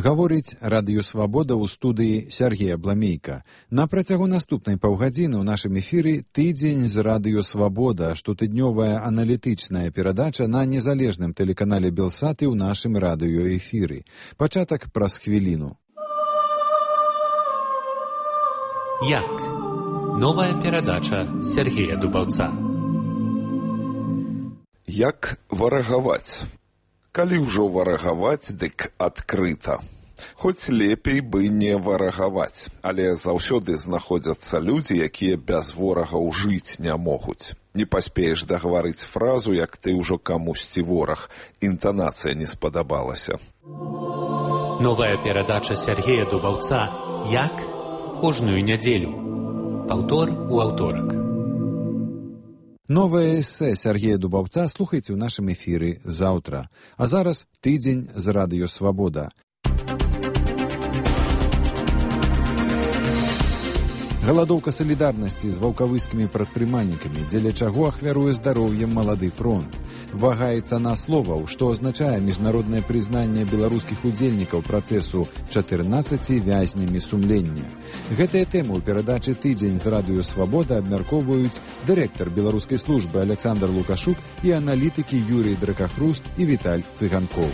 Гаворыць Радыё Свабода ў студыі Сергея Бламейка. На працягу наступнай паўгадзіны ў нашым эфіры «Тыдзень з Радыё Свабода», штотыднёвая аналітычная перадача на незалежным тэлеканале Белсат і ў нашым радыёэфіры. Пачатак праз хвіліну. Як? Новая перадача Сергея Дубаўца. Як варагаваць? Калі ўжо варагаваць, дык адкрыта. Хоць лепей бы не варагаваць, але заўсёды знаходзяцца людзі, якія без ворагаў жыць не могуць. Не паспееш дагаварыць фразу, як ты ўжо камусьці вораг. Інтанацыя не спадабалася. Новая перадача Сергея Дубаўца «Як?» Кожную нядзелю. Паўтор у аўторак. Новае эсэ Сергея Дубаўца слухайце ў нашым эфіры заўтра. А зараз «Тыдзень з Радыё Свабода». Галадоўка салідарнасці з ваўкавыскімі прадпрымальнікамі, дзеля чаго ахвяруе здароўем малады фронт. Вагаецца на словаў, што азначае міжнароднае прызнанне беларускіх удзельнікаў працэсу 14 вязнямі сумлення. Гэтыя тэмы ў перадачы «Тыдзень з Радыё Свабода» абмяркоўваюць дырэктар беларускай службы Александр Лукашук і аналітыкі Юрый Дракахруст і Віталь Цыганкоў.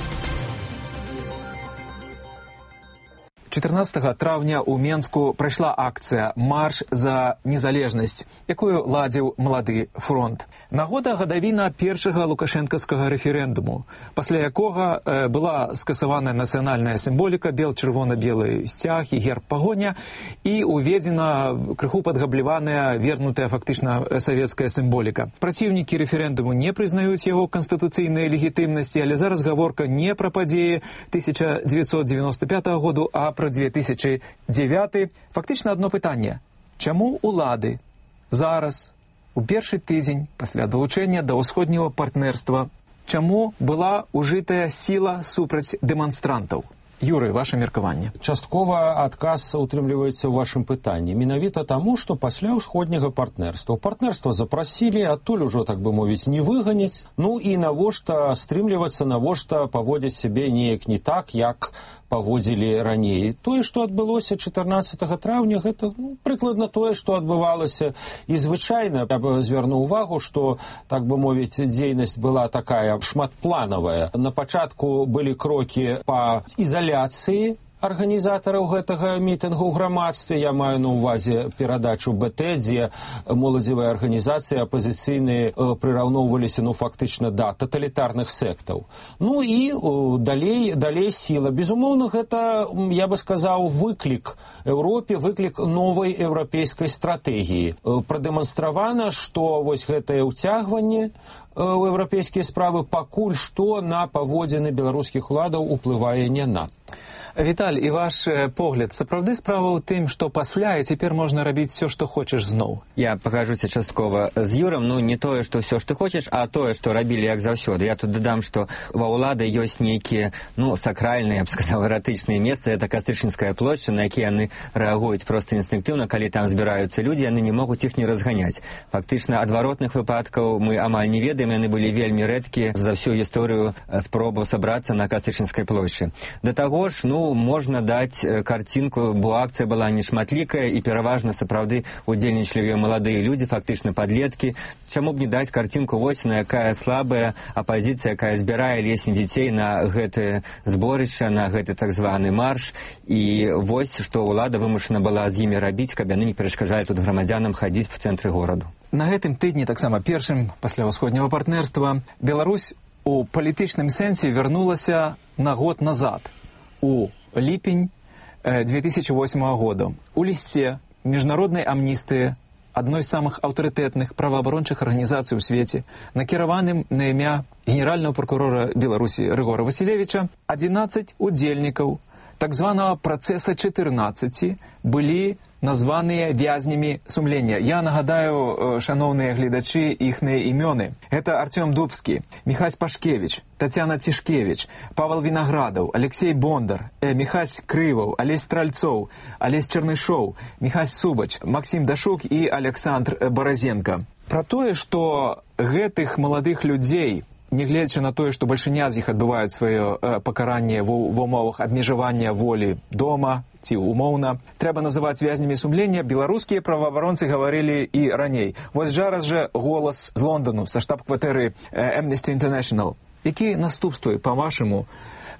14 траўня ў Менску прайшла акцыя «Марш за незалежнасць», якую ладзіў малады фронт. Нагода гадавіна першага лукашэнкаўскага рэферэндуму, пасля якога была скасаваная нацыянальная сімволіка, бел-чырвона-белы сцяг і герб пагоня, і уведзена крыху падгабляваная, вернутая фактычна савецкая сімволіка. Праціўнікі рэферэндуму не прызнаюць яго канстытуцыйнай легітымнасці, але зараз гаворка не пра падзеі 1995 году, а пра 2009. Фактычна адно пытанне. Чаму улады зараз, у першы тыдзень пасля далучэння да ўсходняга партнерства, чаму была ўжытая сіла супраць дэманстрантаў? Юрый, ваше меркаванне. Часткова адказ утрымліваецца ў вашым пытанні. Менавіта таму, што пасля ўсходняга партнерства. Партнерства запрасілі, адтуль ужо, так бы мовіць, не выганяць. Ну і навошта стрымлівацца, навошта паводзіць сябе неяк не так, як паводзілі раней. Тое, што адбылося 14 траўня, гэта прыкладна тое, што адбывалася. І звычайна я б звярнуў увагу, што, так бы мовіць, дзейнасць была такая шматпланавая. На пачатку былі крокі па ізаляцыі арганізатараў гэтага мітынгу ў грамадстве. Я маю на ўвазе перадачу БТ, дзе моладзевыя арганізацыі апазіцыйныя прыраўноўваліся, фактычна да таталітарных сектаў. Ну і далей сіла. Безумоўна, гэта, я бы сказаў, выклік Еўропе, выклік новай еўрапейскай стратэгіі. Прадэманстравана, што вось гэтае ўцягванне ў еўрапейскія справы пакуль што на паводзіны беларускіх уладаў уплывае не надта. Віталь, і ваш погляд, сапраўды справа ў тым, што пасля і цяпер можна рабіць все, што хочаш зноў? Я пагажуся часткова з Юрам, не тое, што все, што хочаш, а тое, што рабілі як заўсёды. Я тут дадам, што ва ўлады ёсць нейкія, сакральныя, я б сказаў, эратычныя месцы. Это Кастрычніцкая плошча, на якія яны рэагуюць проста інстынктыўна, калі там збіраюцца людзі, яны не могуць іх не разганяць. Фактычна, адваротных выпадкаў мы амаль не ведаем, яны былі вельмі рэдкія за всю гісторыю спробаў сабрацца на Кастрычніцкай плошчы. Да таго ж, можна даць карцінку, бо акцыя была нешматлікая і пераважна сапраўды удзельнічалі маладыя людзі, фактычна падлеткі. Чаму б не даць карцінку вось на якая слабая апазіцыя, якая збірае лесень дзяцей на гэтае зборышча, на гэты так званы марш, і вось што ўлада вымушана была з імі рабіць, каб яны не перашкаджалі тут грамадзянам хадзіць в цэнтры гораду. На гэтым тыдні, таксама першым пасля ўсходняга партнерства, Беларусь у палітычным сэнсе вярнулася на год назад, у ліпень 2008 года. У лісце міжнароднай амністыі, адной з самых аўтарытэтных праваабарончых арганізацый у свеце, накіраваным на імя генеральнага прокурора Беларусі Рыгора Васілевіча, 11 удзельнікаў так званага працэса 14 былі названыя вязнямі сумлення. Я нагадаю, шановныя гледачы, іхныя імёны. Гэта Артём Дубскі, Міхась Пашкевіч, Тацяна Цішкевіч, Павел Вінаградаў, Алексей Бондар, Міхась Крываў, Алесь Стральцоў, Алесь Чарнышоў, Міхась Субач, Максім Дашук і Александр Баразенко. Пра тое, што гэтых маладых людзей нягледзячы на тое, што бальшыня з іх адбываюць сваё пакаранне ва ўмовах абмежавання волі дома ці умоўна, трэба называць вязнямі сумлення, беларускія праваабаронцы гаварылі і раней. Вось зараз жа голас з Лондану, са штаб-кватэры Amnesty International. Якія наступствы, па-вашаму,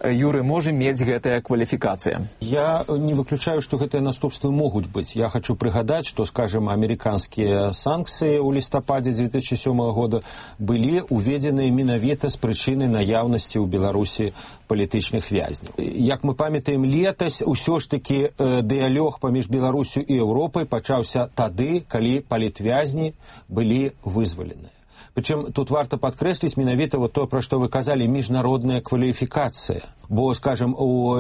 Юры, можа мець гэтая кваліфікацыя? Я не выключаю, што гэтыя наступствы могуць быць. Я хочу прыгадаць, што, скажем, амерыканскія санкцыі ў лістападзе 2007 года былі уведзеныя менавіта з прычыны наяўнасці ў Беларусі палітычных вязняў. Як мы памятаем, летась усё ж такі дыялог паміж Беларусю і Еўропай пачаўся тады, калі палітвязні былі вызваленыя. Причем тут варто подкреслить менавіта вот то, про что вы казали, міжнародная кваліфікацыя. Бо, скажем, у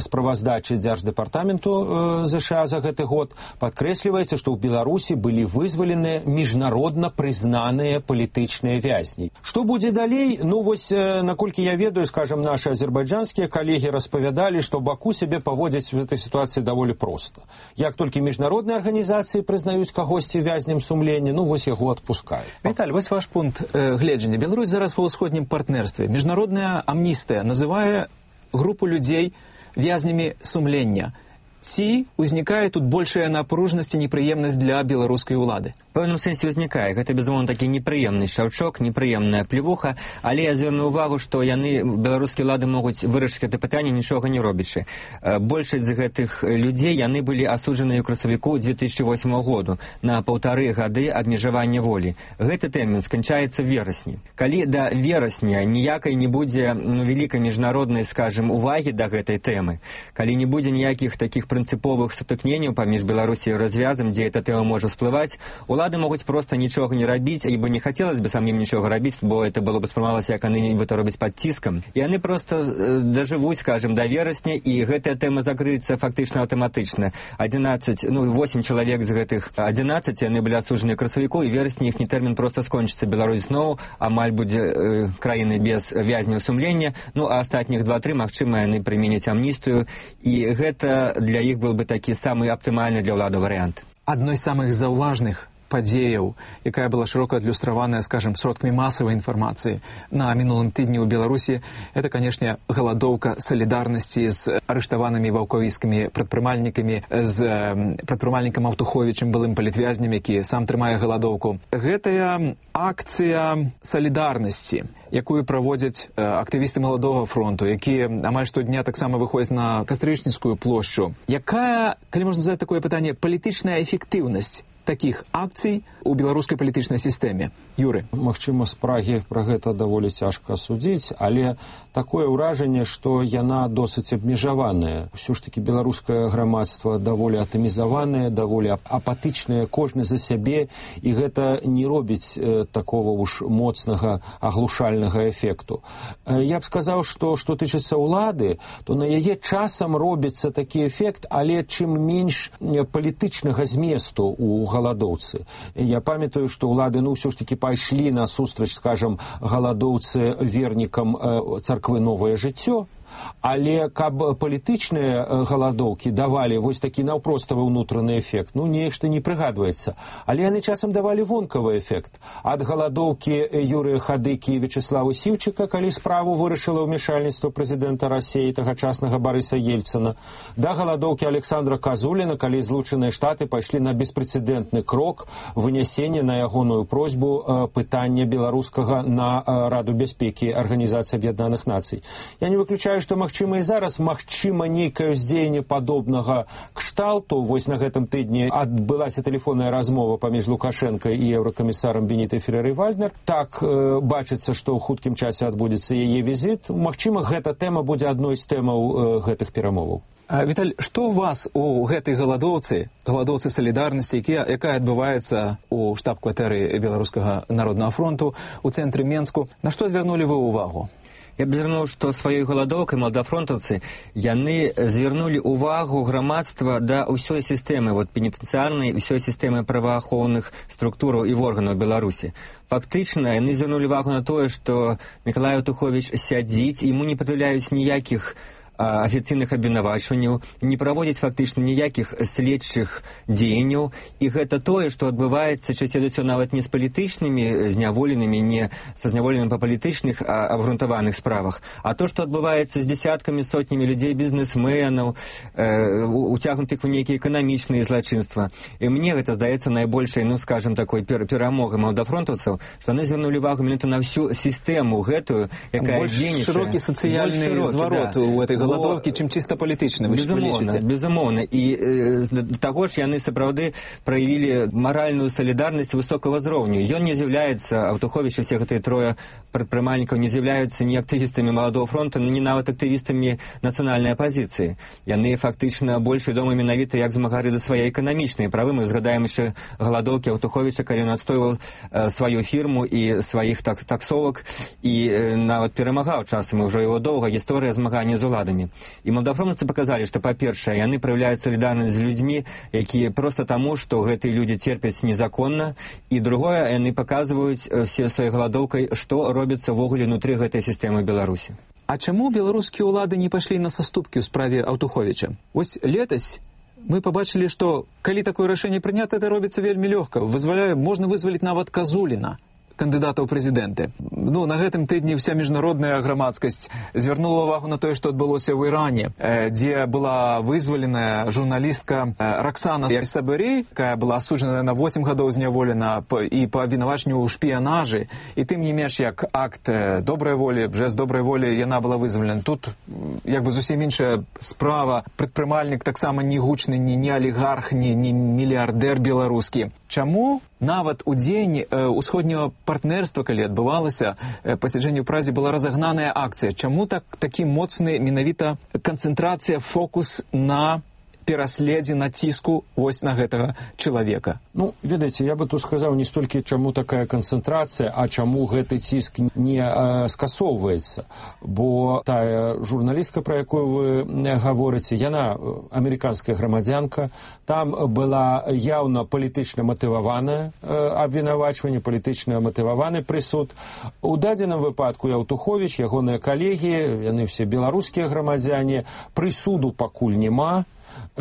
справаздачы Дзярждэпартаменту ЗША за гэты год падкрэсліваецца, што ў Беларусі былі вызваленыя міжнародна прызнаныя палітычныя вязні. Што будзе далей? Ну, вось, наколькі я ведаю, скажем, наши азербайджанскія калегі распавядалі, што Баку сябе паводзіць в этой ситуации даволі проста. Як толькі міжнародныя арганізацыі прызнаюць кагосьці вязнем сумлення, ну, вось яго адпускаюць. Віталь, вось ваш пункт гледжання. Беларусь зараз ва ўсходнім партнерстве. Міжнародная амністыя называе групу людзей вязнямі сумлення. Ці ўзнікае тут большая напружнасць і непрыемнасць для беларускай улады? В пэўным сэнсе ўзнікае. Гэта, безумоўна, такі непрыемны шаўчок, непрыемная плевуха, але я звярну ўвагу, што яны, беларускія ўлады, могуць вырашыць гэта пытанне, нічога не робячы. Большасць з гэтых людзей, яны былі асуджаныя ў красавіку 2008 году на 1,5 гады абмежавання волі. Гэты тэрмін сканчаецца в верасні. Калі да верасня ніякай не будзе вялікай міжнароднай, скажем, увагі да гэтай тэмы, калі не будзе ніякіх такіх прынцыповых сутыкненняў паміж Беларусі і развязам, дзе эта тэма можа всплываць, улады могуць проста нічога не рабіць, ібо не хацелось бы самим нічога рабіць, бо это было бы спрымалася, як яны нібыта робяць пад ціскам. І яны проста дажывуць, скажем, да верасня, і гэтая тэма закрыецца фактычна аўтаматычна. 8 чалавек з гэтых 11 яны былі асуджаны ў красавіку, і верасні іхні тэрмін проста скончыцца. Беларусь зноў амаль будзе краіны без вязняў сумлення, ну а астатніх 2-3, магчыма, яны прыменяць амністыю, і гэта для іх был бы такі самы аптымальны для ўлады варыянт. Адной з самых заўважных падзеяў, якая была шырока адлюстраваная, скажем, сродкамі масавай інфармацыі на мінулым тыдні ў Беларусі, это, канешне, галадоўка салідарнасці з арыштаванымі ваўкавіцкімі прадпрымальнікамі, з прадпрымальнікам Аўтуховічам, былым палітвязням, які сам трымае галадоўку. Гэтая акцыя салідарнасці, якую праводзяць актывісты Маладога фронту, якія амаль штодня таксама выходзяць на Кастрычніцкую плошчу. Якая, калі можна задаць такое пытанне, палітычная эфектыўнасць такіх акцый у беларускай палітычнай сістэме? Юры. Магчыма, з Прагі пра гэта даволі цяжка судзіць, але такое ўражанне, што яна досыць абмежаваная. Усё ж такі беларускае грамадства даволі атамізаванае, даволі апатычнае, кожны за сябе, і гэта не робіць такого уж моцнага аглушальнага эфекту. Я б сказаў, што тычыцца ўлады, то на яе часам робіцца такі эфект, але чым менш палітычнага зместу у галадоўцы. Я памятаю, што ўлады, ўсё ж такі пайшлі на сустрач, скажам, галадоўцы вернікам царквы «Новае жыццё», але каб палітычныя галадоўкі давалі вось такі наўпроставы ўнутраны эфект, нешта не прыгадваецца. Але яны часам давалі вонкавы эфект. Ад галадоўкі Юрыя Хадыкі і Вячеслава Сіўчыка, калі справу вырашыла ўмешальніцтва прэзідэнта Расіі, тагачаснага Барыса Ельцына, да галадоўкі Александра Казуліна, калі Злучаныя Штаты пайшлі на беспрэцэдэнтны крок вынясення на ягоную просьбу пытання беларускага на Раду бяспекі Арганізацыі Аб'яднаных Нацый. Я не выключаю, што магчыма і зараз, магчыма, нейкае ўздзеянне падобнага кшталту. Вось на гэтым тыдні адбылася тэлефонная размова паміж Лукашенко і еўракамісарам Бенітай Ферэрай-Вальднер. Так бачыцца, што ў хуткім часе адбудзецца яе візіт. Магчыма, гэта тэма будзе адной з тэмаў гэтых перамоваў. Віталь, што ў вас у гэтай галадоўцы салідарнасці, якая адбываецца ў штаб-кватэры Беларускага народнага фронту у цэнтры Менску, на што звярнулі вы ўвагу? Я б звярнуў, што сваёй галадоўкай маладафронтаўцы яны звярнулі ўвагу грамадства да ўсёй сістэмы пенітэнцыярнай, ўсёй сістэмы праваахоўных структураў і органаў Беларусі. Фактычна яны звярнулі ўвагу на тое, што Мікалай Аўтуховіч сядзіць, яму не прад'яўляюць ніякіх афіцыйных абвінавачванняў, не праводзіць фактычна ніякіх следчых дзеянняў, і гэта тое, што адбываецца часцей за ўсё нават не з палітычнымі зняволенымі, не са зняволенымі па палітычных абгрунтаваных справах, а то, што адбываецца з дзесяткамі, сотнямі людзей, бізнесменаў, уцягнутых у нейкія эканамічныя злачынства. І мне гэта здаецца найбольшай, ну, скажем, такой перамогай маладафронтаўцаў, што яны звярнулі увагу менавіта на всю сістэму гэтую, якая дзейнічае. Широкі сацыяльны зварот у этой галадоўкі, чым чыста палітычны, вы лічыце? Безумоўна. І таго ж яны сапраўды праявілі маральную салідарнасць высокага ўзроўню. Ён не з'яўляецца, Аўтуховіч і все гэтыя трое прадпрымальнікаў не з'яўляюцца ні актывістамі Маладого фронту, ні нават актывістамі нацыянальнай апазіцыі. Яны фактычна больш вядомы менавіта як змагары за свае эканамічныя правы. Мы згадаем яшчэ галадоўкі Аўтуховіча, калі ён адстойваў сваю фірму і сваіх таксовак, і нават перамагаў часам, ўжо его доўга гісторыя змагання з уладамі. І маладафронтаўцы паказалі, што, па-першае, яны праяўляюць салідарнасць з людзьмі, якія проста таму, што гэтыя людзі церпяць незаконна, і другое, яны паказваюць все сваёй галадоўкай, што робіцца ўвогуле ўнутры гэтай сістэмы Беларусі. А чаму беларускія ўлады не пайшлі на саступкі ў справе Аўтуховіча? Вось летась мы побачили, што калі такое рашэнне прынята, это робіцца вельмі лёгка. Можна вызваліць нават Казуліна, кандыдата ў прэзідэнты. Ну, на гэтым тыдні вся міжнародная грамадскасць звярнула ўвагу на тое, што адбылося ў Іране, дзе была вызваленая журналістка Роксана Сабырей, якая была асуджана на 8 гадоў зняволена і па абвінавачанню ў шпіянажы. І тым не менш, як акт добрай волі, жэст добрай волі, яна была вызвалена. Тут як бы зусім іншая справа. Прадпрымальнік таксама не гучны, не алігарх, не мільярдэр беларускі. Чаму нават у дзень усходняга партнерства, калі адбывалася пасяджэнне ў Празе, была разагнаная акцыя? Чаму такі моцны менавіта канцэнтрацыя, фокус на пераследзе, націску вось на гэтага чалавека? Ну, ведаеце, я бы тут сказаў не столькі, чаму такая канцэнтрацыя, а чаму гэты ціск не скасоўваецца. Бо тая журналістка, пра якую вы гаворыце, яна амерыканская грамадзянка, там была яўна палітычна матываванае абвінавачванне, палітычна матываваны прысуд. У дадзеным выпадку Аўтуховіч, ягоныя калегі, яны все беларускія грамадзяне, прысуду пакуль няма.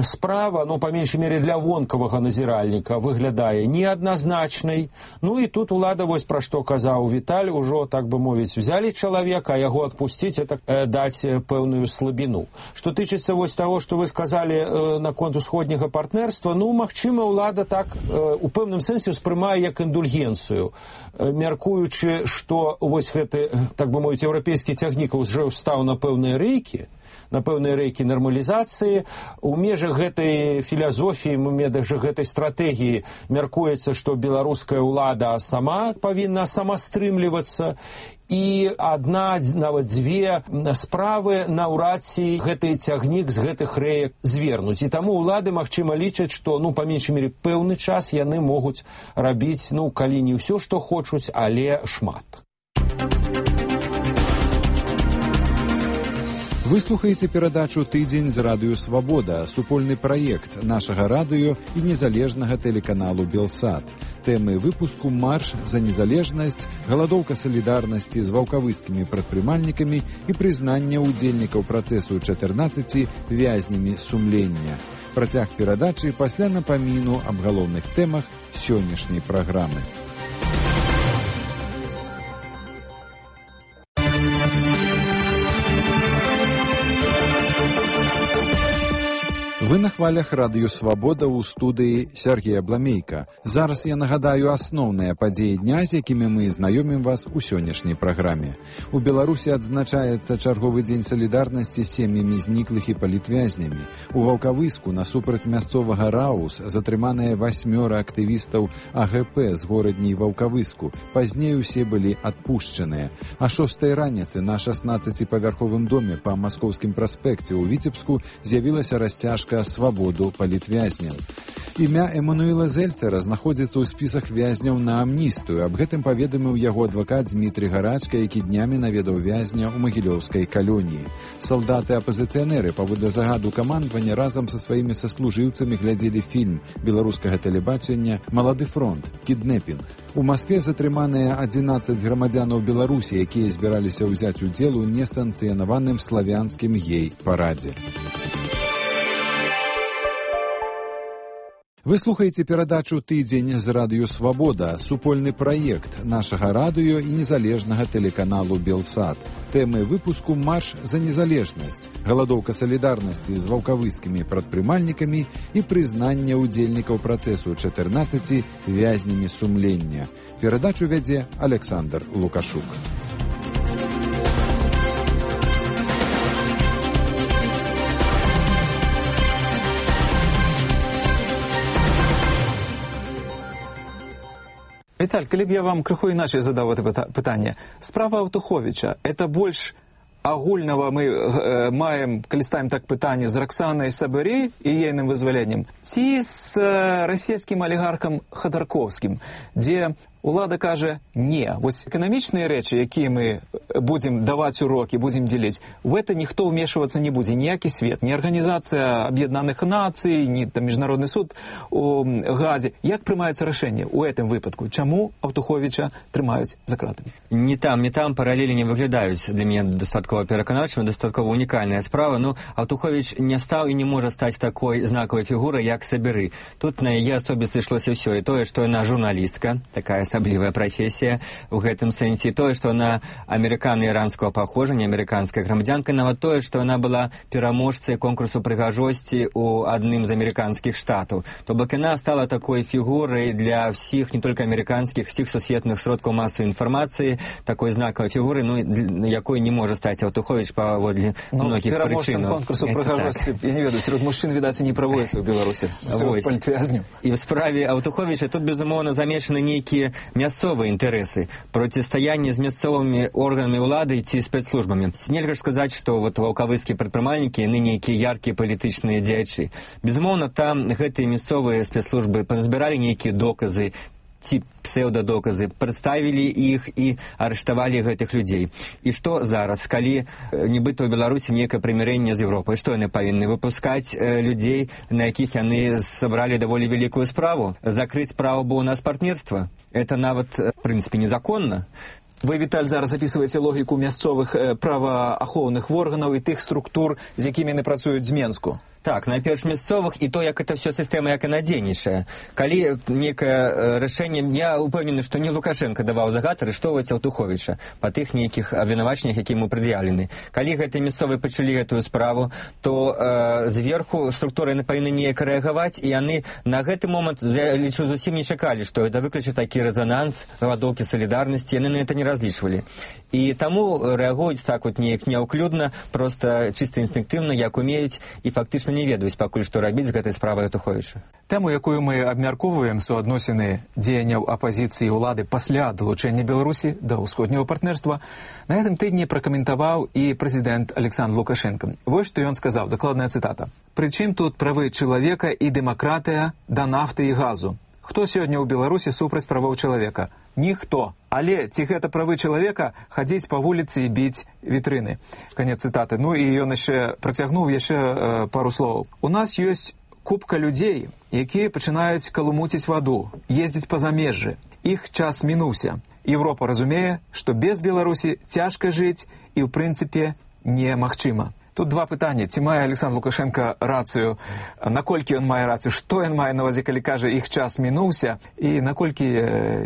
Справа, ну, па меншай мере для вонкавага назіральніка, выглядае неадназначнай. Ну і тут улада, вось пра што казаў Віталь, ужо, так бы мовіць, взялі чалавека, а яго адпусціць, это даць пэўную слабіну. Што тычыцца вось таго, што вы сказалі наконт усходняга партнерства, ну, магчыма, улада так у пэўным сэнсе ўспрымае як індульгенцыю, мяркуючы, што вось гэты, так бы мовіць, еўрапейскі цягнік ўжо стаў на пэўныя рэйкі, на пэўныя рэйкі нармалізацыі. У межах гэтай філасофіі, у межах гэтай стратэгіі мяркуецца, што беларуская ўлада сама павінна самастрымлівацца, і адна, нават дзве справы наўрад ці гэты цягнік з гэтых рэек звернуць. І таму ўлады, магчыма, лічаць, што, ну, па меншай мере, пэўны час яны могуць рабіць, ну, калі не ўсё, што хочуць, але шмат. Вы слухаеце перадачу «Тыдзень» з радыё «Свабода», супольны праект нашага радыё і незалежнага тэлеканалу «Белсат». Тэмы выпуску «Марш за незалежнасць», галадоўка салідарнасці з ваўкавыскімі прадпрымальнікамі і прызнанне ўдзельнікаў працэсу 14 вязнямі сумлення. Працяг перадачы пасля напаміну аб галоўных тэмах сённяшняй праграмы. Вы на хвалях радыё «Свабода» ў студыі Сергея Бламейка. Зараз я нагадаю асноўныя падзеі дня, з якімі мы знаёмім вас у сённяшняй праграме. У Беларусі адзначаецца чарговы дзень салідарнасці з сем'ямі зніклых і палітвязнямі. У Ваўкавыску насупраць мясцовага РАУС затрыманыя 8 актывістаў АГП з горадні Ваўкавыску. Пазней усе былі адпушчаныя. А 6 раніцы на 16-павярховым доме па Маскоўскім праспекце ў Віцебску з'явілася расцяжка «Свабоду палітвязняў». Імя Эммануила Зельцера знаходзіцца ў спісах вязняў на амністыю. Аб гэтым паведаміў яго адвакат Дмітрий Гарачка, які днямі наведаў вязня ў магілёўскай калоніі. Салдаты-апазіцыянеры паводле загаду камандавання разам са сваімі саслужыўцамі глядзелі фільм беларускага тэлебачання «Малады фронт. Кіднепінг». У Маскве затрыманыя 11 грамадзянаў Беларусі, якія збіраліся ўзяць удзел у несанкцыянаваным славянскім гей-парадзе. Вы слухаеце перадачу «Тыдзень» з радыё «Свабода», супольны праект нашага радыё і незалежнага тэлеканалу «Белсат». Тэмы выпуску «Марш за незалежнасць», галадоўка салідарнасці з ваўкавыскімі прадпрымальнікамі і прызнанне ўдзельнікаў працэсу 14 вязнямі сумлення. Перадачу вядзе Александр Лукашук. Віталь, калі б я вам крыху іначай задаў гэта пытанне. Справа Аўтуховіча, это больш агульнага мы маем, калі ставім так пытанне, з Раксанай Сабырей і ейным вызваленнем, ці з расійскім алігархам Хадарковскім, дзе улада кажа «не». Вось эканамічныя рэчы, якія мы будзем даваць урокі, будзем дзеліць, в это ніхто ўмешвацца не будзе, ніякі свет, ні Арганізацыя Аб'яднаных Нацый, ні там Міжнародны суд у Газе. Як прымаецца рашэнне ў гэтым выпадку? Чаму Аўтуховіча трымаюць за кратамі? Не там, паралелі не выглядаюць для мяне дастаткова пераканаўчымі, дастаткова унікальная справа. Ну, Аўтуховіч не стаў і не можа стаць такой знакавай фігурай, як Сабіры. Тут на яе асобе сышлося ўсё, і тое, што яна журналістка, такая асаблівая прафесія ў гэтым сэнсе, тое, што яна амерыкана-іранскага паходжання, амерыканская грамадзянка, нават тое, што яна была пераможцай конкурсу прыгажосці ў адным з амерыканскіх штатаў. То бок яна стала такой фігурай для ўсіх, не толькі амерыканскіх, усіх сусветных сродкаў масавай інфармацыі, такой знакавай фігуры, ну, якой не можа стаць Аўтуховіч паводле многіх прычынаў. Пераможцам конкурсу прыгажосці, я не ведаю, сярод мужчын, відаць, і не праводзіцца ў Беларусі. І в справе Аўтуховіча тут, безумоўна, замешаны нейкія мясцовыя інтарэсы, процістаянне з мясцовымі органамі ўлады ці спецслужбамі. Нельга ж сказаць, што вот ваўкавыскія прадпрымальнікі, яны нейкія яркія палітычныя дзеячы. Безумоўна, там гэтыя мясцовыя спецслужбы пазбіралі нейкія доказы ці псеўдадоказы, прадставілі іх і арыштавалі гэтых людзей. І што зараз, калі нібыта ў Беларусі нейкае прымірэнне з Еўропай, што яны павінны выпускаць людзей, на якіх яны сабралі даволі вялікую справу? Закрыць справу, бо ў нас партнерства? Это нават, в прынцыпе, незаконна. Вы, Віталь, зараз апісваеце логіку мясцовых праваахоўных органаў і тых структур, з якімі яны працуюць з Менску. Так, найперш мясцовых, і то, як это все сістэма, як яна дзейнічае. Калі некае рашэнне, я упэўнены, што не Лукашенко даваў загад арыштоўваць Аўтуховіча па тых нейкіх абвінавачаннях, якія ему прад'яўлены. Калі гэтыя мясцовыя пачалі гэтую справу, то зверху структуры яны павінны неяк рэагаваць, і яны на гэты момант, я лічу, зусім не чакалі, што это выключыць такі рэзананс, галадоўкі салідарнасці, яны на это не разлічвалі. І таму рэагуюць так вот неяк няўклюдна, проста чыста інстынктыўна, як умеюць, і фактычна не ведаюць пакуль што рабіць з гэтай справай Аўтуховіча. Тэму, якую мы абмяркоўваем, суадносіны дзеянняў апазіцыі і ўлады пасля далучэння Беларусі да ўсходняга партнерства, на гэтым тыдні пракаментаваў і прэзідэнт Александр Лукашенко. Вось што ён сказаў, дакладная цытата. «Прычым тут правы чалавека і дэмакратыя да нафты і газу? Хто сёння ў Беларусі супраць правоў чалавека? Ніхто. Але ці гэта правы чалавека хадзіць па вуліцы і біць вітрыны?» Канец цытаты. Ну і ён яшчэ працягнуў пару словаў. «У нас ёсць купка людзей, якія пачынаюць калумуціць ваду, ездзіць па замежжы. Іх час мінуўся. Еўропа разумее, што без Беларусі цяжка жыць і ў прынцыпе немагчыма». Тут два пытання. Ці мае Александр Лукашенко рацыю? Наколькі ён мае рацыю? Што ён мае на ўвазе, калі кажа, іх час мінуўся? І наколькі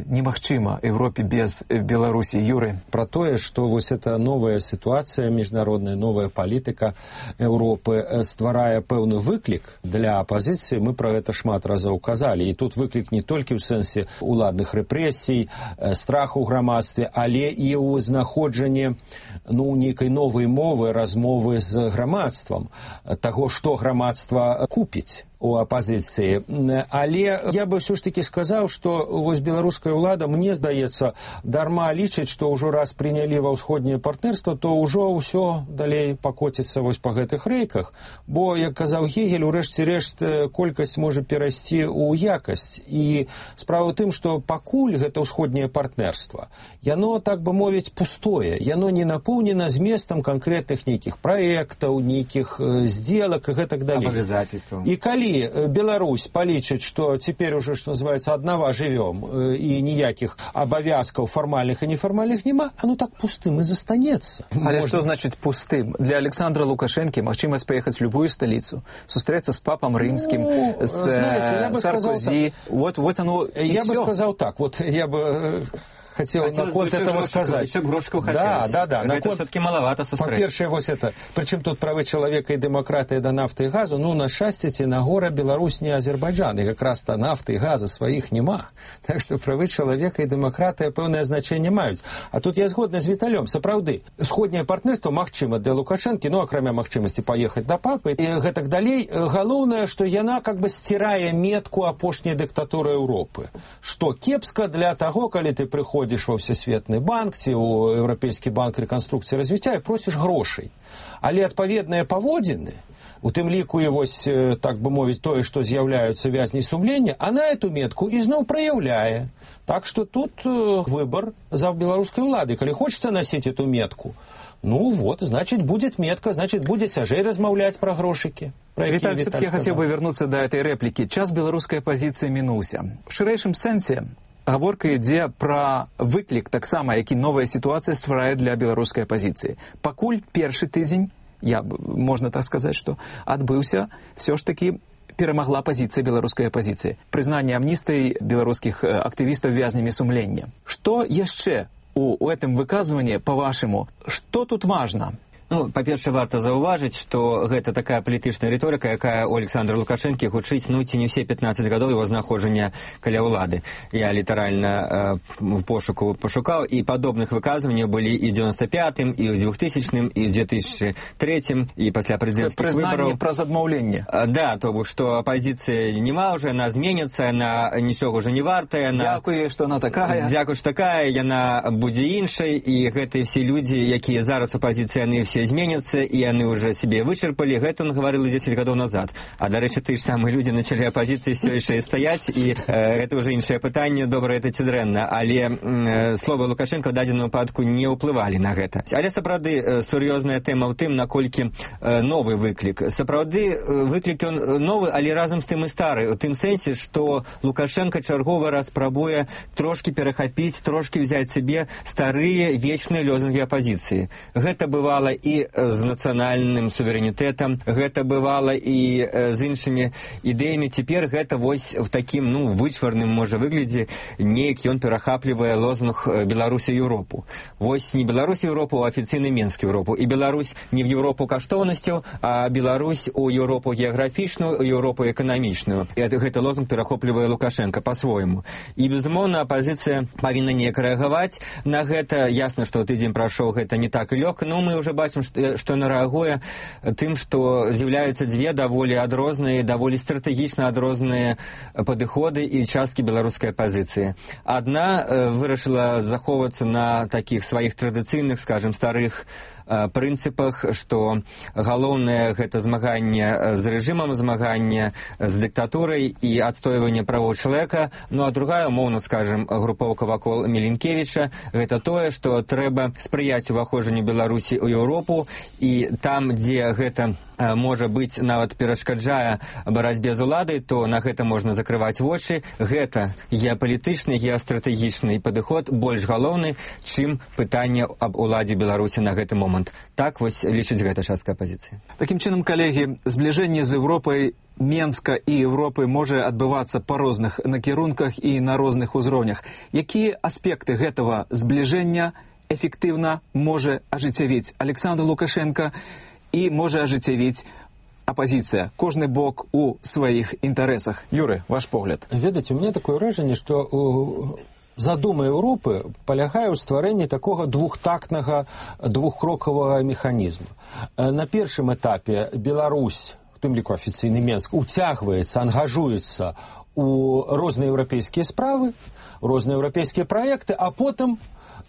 немагчыма Европе без Беларусі? Юры? Про тое, што вось эта новая сітуацыя міжнародная, новая палітыка Еўропы стварае пэўны выклік для апазіцыі. Мы про гэта шмат разоў казалі. І тут выклік не толькі ў сэнсе уладных рэпрэсій, страху ў грамадстве, але і ў знаходжанні нейкай новай мовы, размовы з грамадствам, таго, што грамадства купіць. у апозіцыі. Але я бы все ж таки сказаў, што вось беларуская ўлада, мне здаецца, дарма лічыць, што ўжо раз прынялі ва ўсходняе партнерства, то ўжо ўсё далей пакоціцца вось па гэтых рэйках. Бо, як казаў Гегель, у рэшце рэшт колькасць можа перайсці ў якасць. І справа ў тым, што пакуль гэта ўсходняе партнерства, яно, так бы мовіць, пустое. Яно не напоўнена зместам канкрэтных нейкіх праектаў, нейкіх сделак і гэтак далей. Абавязательстваў. І калі Беларусь палічыць, што цяпер уже, што называецца, аднава жывём, і ніякіх абавязкаў фармальных і нефармальных няма, оно так пустым і застанецца. Але што значыць пустым? Для Александра Лукашэнкі магчымасць паехаць в любую сталіцу, сустрэцца з папам рымскім, з Саркозі. Вот оно і я всё. бы сказал так, вот я бы хотел наконт этого сказать. Еще грошку хотелось. Да. Это все-таки маловато сустрэць. По-першае, вось это, причем тут правы чалавека і дэмакратыя да нафты і газу, ну, на шчасце ці на гора Беларусь не Азербайджан, і якраз-то нафты і газа сваіх няма. Так што правы чалавека і дэмакратыя пэўнае значэнне маюць. А тут я згодны з Віталём, сапраўды, сходняе партнерство магчыма для Лукашэнкі, ну, акрамя магчымасці паехаць да папы, і гэтак далей. Галоўнае, што яна как бы сцірае метку апошняй дыктатуры Еўропы. Што кепска для таго, калі ты прыходзіш во Всесветны банк ці ў Еўрапейскі банк рэканструкцыі і развіцця і просіш грошай. Але адпаведныя паводзіны, у тым ліку і вось, так бы мовіць, тое, што з'яўляюцца вязні сумлення, она эту метку ізноў праяўляе. Так што тут выбор за беларускай улады. Калі хочется носить эту метку, ну вот, значит, будет метка, значит, будет цяжэй размаўляць пра грошыкі. Виталий, все-таки я хотел бы вернуться до этой реплики. Час беларускай апозіцыі мінуўся. В шырэйшым сэнсе гаворка ідзе пра выклік таксама, які новая сітуацыя стварае для беларускай апозіцыі. Пакуль першы тыдзень, можна так сказаць, што адбыўся, все ж таки перамагла пазіцыя беларускай апозіцыі. Прызнанне амністыі беларускіх актывістаў вязнямі сумлення. Што яшчэ у гэтым выказванні, па-вашаму, што тут важна? Ну, па-першае, варта заўважыць, што гэта такая палітычная рыторыка, якая у Александра Лукашэнкі гучыць, ну, ці не ўсе 15 гадоў его знаходжання каля ўлады. Я літаральна в пошуку пашукаў, і падобных выказванняў былі і ў 95-м, і ў 2000-м, і ў 2003-м, і пасля прэзідэнцкіх выбараў. Прызнанне праз адмаўленне. Да, то бок, што апазіцыя нема ўжо, яна зменіцца, яна нічога ўжо не вартая. Дзякуй, што яна такая. Дзякуй, што такая, яна будзе іншай, і гэтыя все людзі, якія зараз у апазіцыі, яны все зменятся, и они уже себе вычерпали. Это он говорил 10 годов назад. А, до речі, ті ж самі люди начали опозиции все ще стоять, і это уже інше питання, добре это ці дрэнна. Але слова Лукашенко в дадзеным выпадку не ўплывалі на гэта. Але сапраўды сур'ёзная тэма ў тым, наколькі новы выклік. Сапраўды выклік он новы, але разам з тым і стары. У тым сэнсе, што Лукашенко чарговы раз спрабуе трошки перахапіць, трошки взять себе старыя вечныя лозунгі апозіцыі. Гэта бывала і з нацыянальным суверэнітэтам, гэта бывала і з іншымі ідэямі. Цяпер гэта вось в такім, ну, вычварным, можа, выглядзе, неяк ён перахаплівае лозунг Беларусі Еўропу. Вось не Беларусь Еўропу, а афіцыйны Менск Еўропу. І Беларусь не в Еўропу каштоўнасцяў, а Беларусь у Еўропу геаграфічную, у Еўропу эканамічную. І гэты лозунг перахоплівае Лукашенко па-свойму. І, безумоўна, апозіцыя павінна неяк рэагаваць на гэта. Ясна, што тыдзень прайшоў, гэта не так і лёгка, но мы ўжо бачым, што яна рэагуе тым, што з'яўляюцца дзве даволі адрозныя, даволі стратэгічна адрозныя падыходы і часткі беларускай апозіцыі. Адна вырашыла захоўвацца на такіх сваіх традыцыйных, скажем, старых прынцыпах, што галоўнае гэта змаганне з рэжымам, змаганне з дыктатурай і адстойванне правоў чалавека. Ну а другая, умоўна скажем, групоўка вакол Міленкевіча, гэта тое, што трэба спрыяць уваходжанню Беларусі ў Еўропу, і там, дзе гэта можа быць, нават перашкаджае барацьбе з уладай, то на гэта можна закрываць вочы. Гэта геапалітычны, геастратэгічны падыход больш галоўны, чым пытанне аб уладзе Беларусі на гэты момант. Так вось лічыць гэта частка апозіцыі. Такім чынам, калегі, збліжэнне з Еўропай, Менска і Еўропы можа адбывацца па розных накірунках і на розных узроўнях. Якія аспекты гэтага збліжэння эфектыўна можа ажыццявіць Александр Лукашенко і можа ажыццявіць апозіцыя, кожны бок у сваіх інтарэсах? Юры, ваш погляд. Ведаце, у меня такое ўражанне, што задума Еўропы палягае ў стварэнні такога двухтактнага, двухкрокавага механізму. На першым этапе Беларусь у тым ліку афіцыйны Менск, уцягваецца, ангажуецца у розныя еўрапейскія справы, розныя еўрапейскія праекты, а потым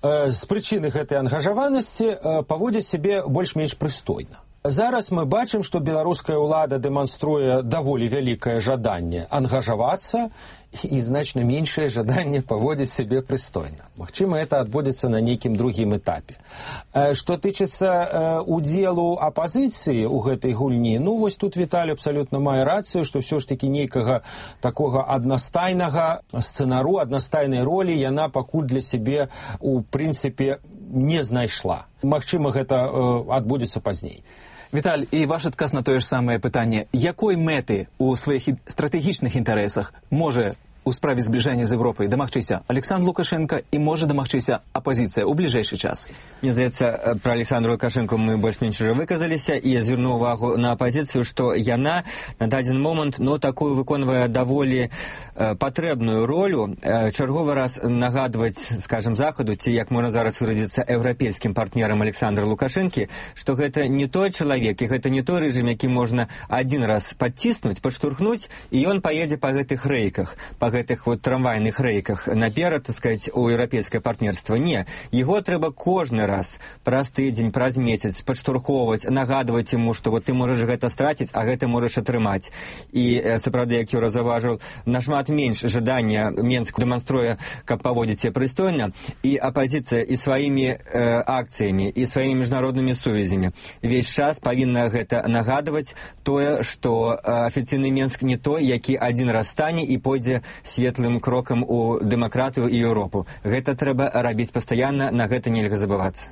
з прычыны гэтай ангажаванасці паводзіць сябе больш-менш прыстойна. Зараз мы бачым, што беларуская ўлада дэманструе даволі вялікае жаданне ангажавацца і значна меншае жаданне паводзіць сябе прыстойна. Магчыма, это адбудзецца на нейкім другім этапе. Што тычыцца удзелу апазіцыі ў гэтай гульні, ну вось тут Віталій абсалютна мае рацыю, што ўсё ж такі нейкага такога аднастайнага сцэнару, аднастайнай ролі яна пакуль для сябе у прынцыпе не знайшла. Магчыма, гэта адбудзецца пазней. Віталь, і ваш адказ на тое ж самае пытанне. Якой мэты ў сваіх стратэгічных інтарэсах можа у справе збліжання з Европай дамагчыся Александр Лукашенко і можа дамагчыся апозіцыя ў бліжэйшы час? Мне здаецца, пра Александра Лукашенко мы больш-менш уже выказаліся, і я звярну ўвагу на апозіцыю, што яна на дадзены момант такую выконвае даволі патрэбную ролю, чарговы раз нагадваць, скажем, Захаду, ці, як можна зараз выразіцца, еўрапейскім партнерам Александра Лукашэнкі, што гэта не той чалавек, і гэта не той рэжым, які можна адзін раз падціснуць, падштурхнуць, і ён паедзе па гэтых рэйках, па гэтых вот трамвайных рэйках наперад, так сказать, у еўрапейскае партнерства. Не, яго трэба кожны раз праз тыдзень, праз месяц падштурхоўваць, нагадваць яму, што вот ты можаш гэта страціць, а гэта можаш атрымаць. І сапраўды, як Юра заўважыў, нашмат менш жадання Менск дэманструе, каб паводзіць сябе прыстойна, і апазіцыя і сваімі акцыямі, і сваімі міжнароднымі сувязямі увесь час павінна гэта нагадваць тое, што афіцыйны Менск не той, які адзін раз стане і пойдзе светлым крокам у дэмакратыю і Еўропу. Гэта трэба рабіць пастаянна, на гэта нельга забывацца.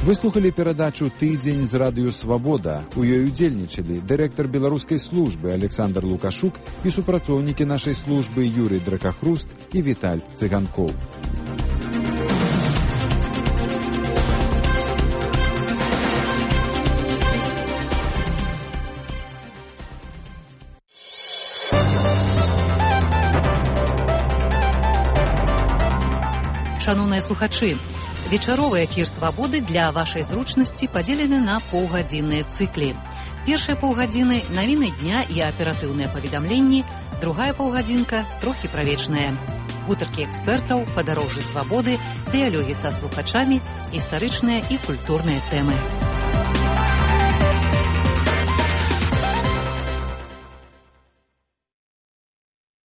Выслухалі перадачу «Тыдзень з радыё Свабода». У ёй удзельнічалі дырэктар беларускай службы Александр Лукашук і супрацоўнікі нашай службы Юрый Дракахруст і Віталь Цыганкоў. Шановныя слухачы, вечаровыя эфір «Свабоды» для вашай зручнасці падзелены на паўгадзінныя цыклі. Першыя паўгадзіны – навіны дня і аператыўныя паведамленні, другая паўгадзінка – трохі правечная. Гутаркі экспертаў, падарожжы свабоды, дыялогі са слухачамі, гістарычныя і культурныя тэмы.